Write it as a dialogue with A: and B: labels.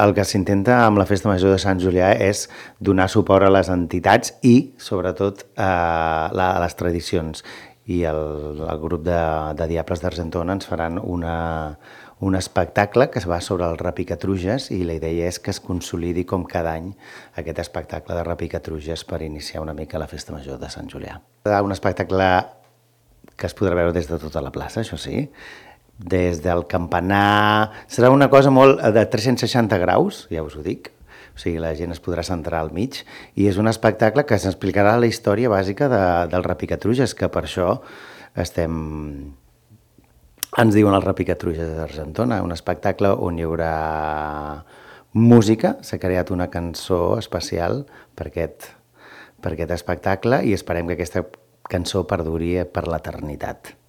A: El que s'intenta amb la Festa Major de Sant Julià és donar suport a les entitats i, sobretot, a les tradicions. I el grup de Diables d'Argentona ens faran un espectacle que es va sobre el repicatruges i la idea és que es consolidi com cada any aquest espectacle de repicatruges per iniciar una mica la Festa Major de Sant Julià. Un espectacle que es podrà veure des de tota la plaça, això sí, des del campanar. Serà una cosa molt de 360 graus, ja us ho dic. O sigui, la gent es podrà centrar al mig i és un espectacle que s'explicarà la història bàsica del repicatruges, que per això ens diuen els repicatruges d'Argentona, un espectacle on hi haurà música, s'ha creat una cançó especial per aquest espectacle i esperem que aquesta cançó perduri per l'eternitat.